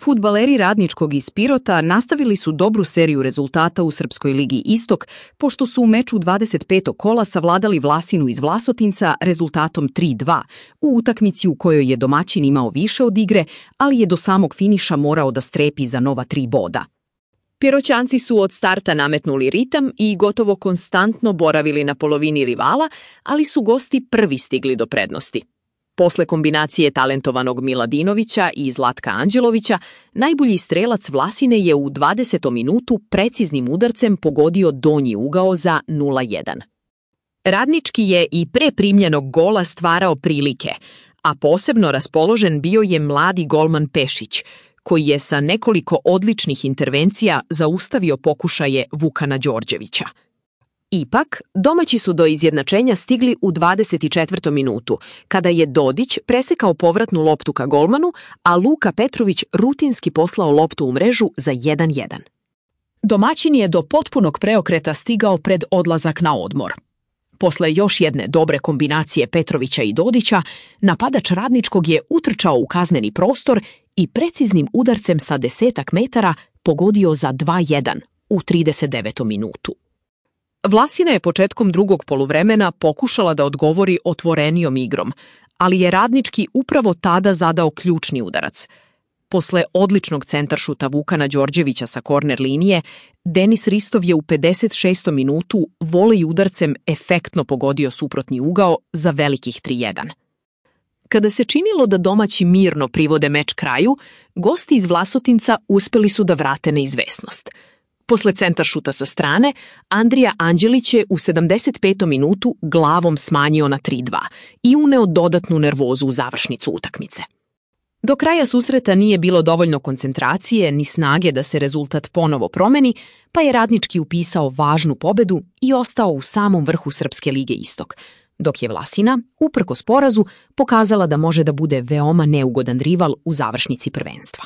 Fudbaleri Radničkog iz Pirota nastavili su dobru seriju rezultata u Srpskoj ligi Istok, pošto su u meču 25. kola savladali Vlasinu iz Vlasotinca rezultatom 3:2, u utakmici u kojoj je domaćin imao više od igre, ali je do samog finiša morao da strepi za nova 3 boda. Piroćanci su od starta nametnuli ritam i gotovo konstantno boravili na polovini rivala, ali su gosti prvi stigli do prednosti. Posle kombinacije talentovanog Miladinovića i Zlatka Anđelovića, najbolji strelac Vlasine je u 20. minutu preciznim udarcem pogodio donji ugao za 0:1. Radnički je i pre primljenog gola stvarao prilike, a posebno raspoložen bio je mladi golman Pešić, koji je sa nekoliko odličnih intervencija zaustavio pokušaje Vukana Đorđevića. Ipak, domaći su do izjednačenja stigli u 24. minutu, kada je Dodić presekao povratnu loptu ka golmanu, a Luka Petrović rutinski poslao loptu u mrežu za 1:1. Domaćin je do potpunog preokreta stigao pred odlazak na odmor. Posle još jedne dobre kombinacije Petrovića i Dodića, napadač Radničkog je utrčao u kazneni prostor i preciznim udarcem sa 10 metara pogodio za 2:1 u 39. minutu. Vlasina je početkom drugog poluvremena pokušala da odgovori otvorenijom igrom, ali je Radnički upravo tada zadao ključni udarac. Posle odličnog centaršuta Vukana Đorđevića sa korner linije, Denis Ristov je u 56. minutu volej udarcem efektno pogodio suprotni ugao za velikih 3:1. Kada se činilo da domaći mirno privode meč kraju, gosti iz Vlasotinca uspeli su da vrate neizvesnost. Posle centaršuta sa strane, Andrija Anđelić je u 75. minutu glavom smanjio na 3:2 i uneo dodatnu nervozu u završnicu utakmice. Do kraja susreta nije bilo dovoljno koncentracije ni snage da se rezultat ponovo promeni, pa je Radnički upisao važnu pobedu i ostao u samom vrhu Srpske lige Istok, dok je Vlasina, uprkos porazu, pokazala da može da bude veoma neugodan rival u završnici prvenstva.